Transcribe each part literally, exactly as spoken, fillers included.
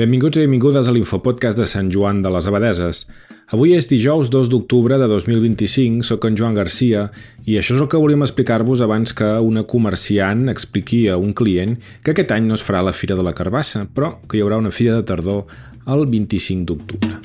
Benvinguts i benvingudes a l'Infopodcast de Sant Joan de les Abadeses. Avui és dijous dos d'octubre de dos mil vint-i-cinc, soc en Joan Garcia i això és el que volíem explicar-vos abans que una comerciant expliqui a un client que aquest any no es farà la Fira de la Carbassa, però que hi haurà una Fira de Tardor el vint-i-cinc d'octubre.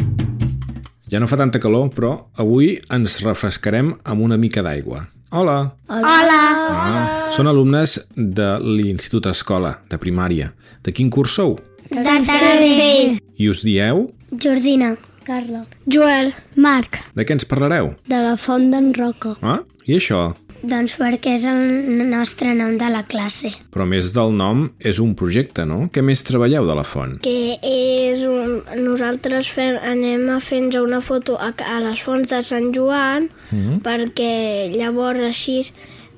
Ja no fa tanta calor, però avui ens refrescarem amb una mica d'aigua. Hola! Hola! Ah, són alumnes de l'Institut Escola, de primària. De quin curs sou? De tercer. I us dieu? Jordina. Carla. Joel. Marc. De què ens parlareu? De la Font d'en Roca. Ah, i això? Doncs perquè és el nostre nom de la classe. Però a més del nom, és un projecte, no? Què més treballeu de la font? Que és un... Nosaltres fem, anem a fer-nos una foto a, a les fonts de Sant Joan mm. perquè llavors així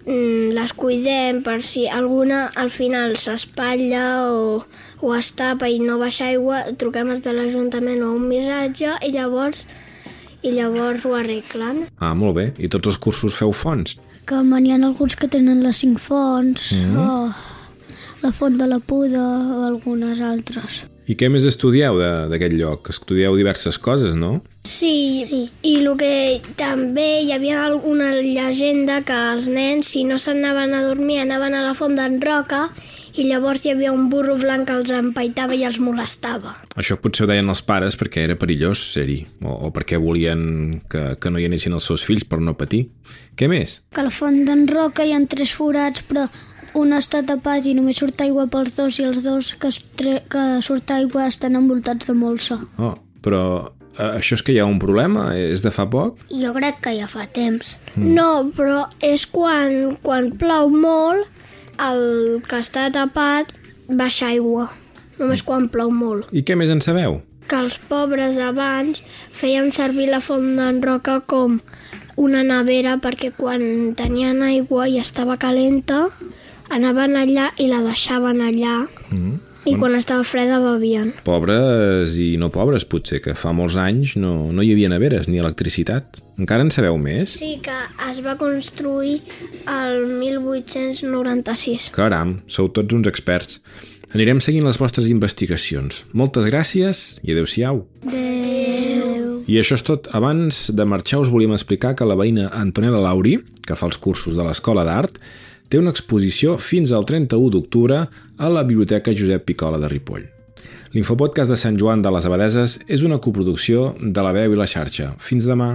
mm, les cuidem per si alguna al final s'espatlla o, o es tapa i no baixa aigua, truquem des de l'Ajuntament o un missatge i llavors, i llavors ho arreglen. Ah, molt bé. I tots els cursos feu fonts? Que n'hi ha alguns que tenen les cinc fonts, mm. o la Font de la Puda o algunes altres. I què més estudieu d'aquest lloc? Estudieu diverses coses, no? Sí, sí, i el que també hi havia alguna llegenda que els nens, si no s'anaven a dormir, anaven a la Font d'en Roca i llavors hi havia un burro blanc que els empaitava i els molestava. Això potser ho deien els pares perquè era perillós ser-hi, o, o perquè volien que, que no hi anessin els seus fills per no patir. Què més? Que a la Font d'en Roca hi ha tres forats, però un està tapat i només surt aigua pels dos i els dos que, tre... que surt aigua estan envoltats de molsa. Oh, però eh, això és que hi ha un problema? És de fa poc? Jo crec que ja fa temps. Mm. No, però és quan, quan plou molt, el que està tapat baixa aigua, només quan plou molt. I què més en sabeu? Que els pobres abans feien servir la Font d'en Roca com una nevera perquè quan tenien aigua i estava calenta, anaven allà i la deixaven allà mm. i quan estava freda bevien. Pobres i no pobres, potser, que fa molts anys no, no hi havia neveres ni electricitat. Encara en sabeu més? Sí, que es va construir el mil vuit-cents noranta-sis. Caram, sou tots uns experts. Anirem seguint les vostres investigacions. Moltes gràcies i adeu-siau. Adeu. I això és tot. Abans de marxar us volíem explicar que la veïna Antonella Lauri, que fa els cursos de l'Escola d'Art, té una exposició fins al trenta-u d'octubre a la Biblioteca Josep Picola de Ripoll. L'Infopodcast de Sant Joan de les Abadeses és una coproducció de La Veu i la Xarxa. Fins demà!